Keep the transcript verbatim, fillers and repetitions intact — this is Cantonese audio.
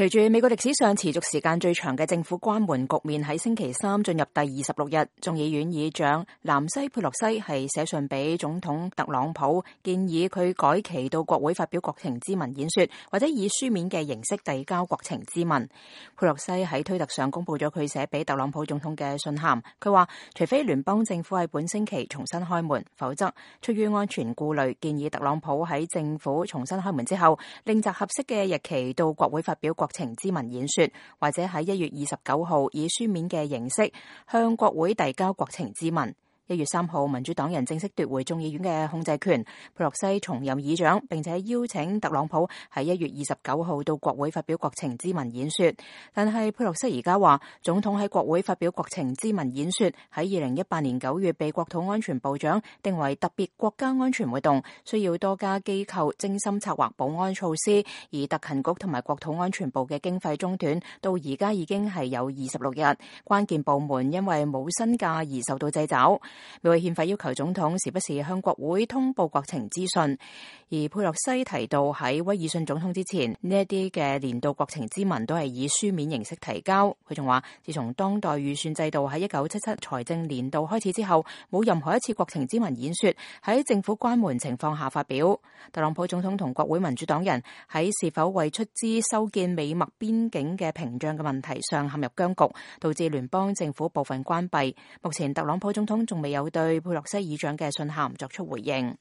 隨住美國歷史上持續時間最長嘅政府關門局面喺星期三進入第二十六日，眾議院議長南西佩洛西係寫信俾總統特朗普，建議佢改期到國會發表國情咨文演說，或者以書面嘅形式遞交國情咨文。佩洛西喺推特上公布咗佢寫俾特朗普總統嘅信函，佢話除非聯邦政府喺本星期重新開門，否則出於安全顧慮，建議特朗普喺政府重新開門之後，另擇合適嘅日期到國會發表國情咨文演說，或者喺一月二十九號以書面嘅形式向國會遞交國情咨文。一月三號，民主黨人正式奪回眾議院嘅控制權，佩洛西重任議長，並且邀請特朗普喺一月二十九號到國會發表國情咨文演說。但係佩洛西而家話，總統喺國會發表國情咨文演說喺二零一八年九月被國土安全部長定為特別國家安全活動，需要多家機構精心策劃保安措施，而特勤局同埋國土安全部嘅經費中斷，到而家已經係有二十六日，關鍵部門因為冇薪假而受到掣肘。美國憲法要求總統時不時向國會通報國情資訊，而佩洛西提到喺威爾遜總統之前，呢一啲嘅年度國情咨文都係以書面形式提交。佢仲話，自從當代預算制度喺一九七七財政年度開始之後，冇任何一次國情咨文演說喺政府關門情況下發表。特朗普總統同國會民主黨人喺是否為出資修建美墨邊境嘅屏障嘅問題上陷入僵局，導致聯邦政府部分關閉。目前特朗普總統仲未有對佩洛西議長嘅信函作出回應。